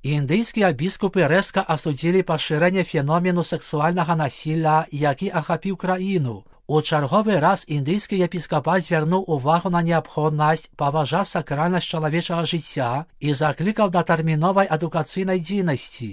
Індыйскія біскупы рэзка асудзілі пашырэнне феномену сэксуальнага насілля, які ахапіў краіну. У чарговы раз індыйскі епіскапат звярнуў увагу на неабходнасць паважаць сакральнасць чалавечага жыцця і заклікаў да тэрміновай адукацыйнай дзейнасці.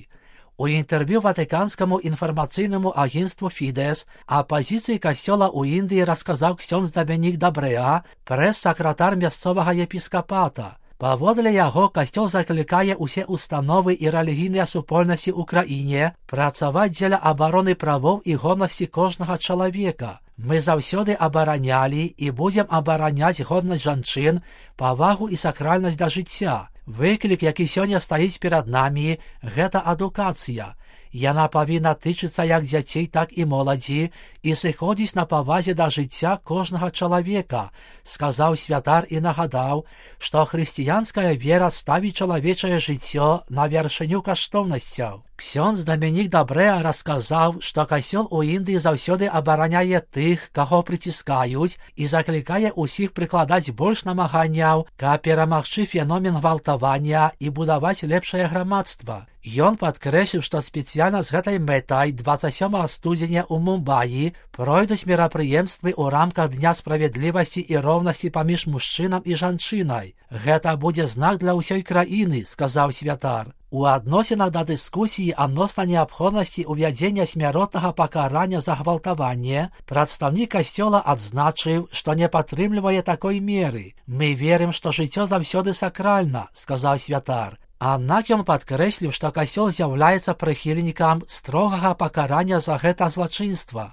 У інтэрв'ю ватыканскаму інфармацыйнаму агенцтву «Фідэс» о пазіцыі касцёла ў Індыі расказаў ксёндз Дамінік Дабрэа, прэс-сакратар мясцовага епіскапата. Паводле яго, касцёл заклікае ўсе установы і рэлігійныя супольнасці ў краіне працаваць дзеля абароны правоў і годнасці кожнага чалавека. Мы заўсёды абаранялі і будзем абараняць годнасць жанчын, павагу і сакральнасць да жыцця. Выклік, які сёння стаіць перад намі, гэта адукацыя. Яна павінна тычыцца як дзяцей, так і моладзі і сыходзіць на павазе да жыцця кожнага чалавека, сказаў святар і нагадаў, што хрысціянская вера ставіць чалавечае жыццё на вяршыню каштоўнасцяў. Ксёндз Дамінік Дабрэа расказаў, што касцёл у Індыі заўсёды абараняе тых, каго прыціскаюць, і заклікае ўсіх прыкладаць больш намаганняў, каб перамагчы феномен гвалтавання і будаваць лепшае грамадства. Ён падкрэсліў, што спецыяльна з гэтай мэтай 27 студзеня ў Мумбаі пройдуць мерапрыемствы ў рамках Дня справядлівасці і роўнасці паміж мужчынам і жанчынай. Гэта будзе знак для ўсёй краіны, сказаў святар. У адносінах да дыскусіі адносна неабходнасці ўвядзення смяротнага пакарання за гвалтаванне прадстаўнік касцёла адзначыў, што не падтрымлівае такой меры. Мы верым, што жыццё заўсёды сакральна, сказаў святар. Аднак ён падкрэсліў, што касцёл з'яўляецца прыхільнікам строгага пакарання за гэта злачынства.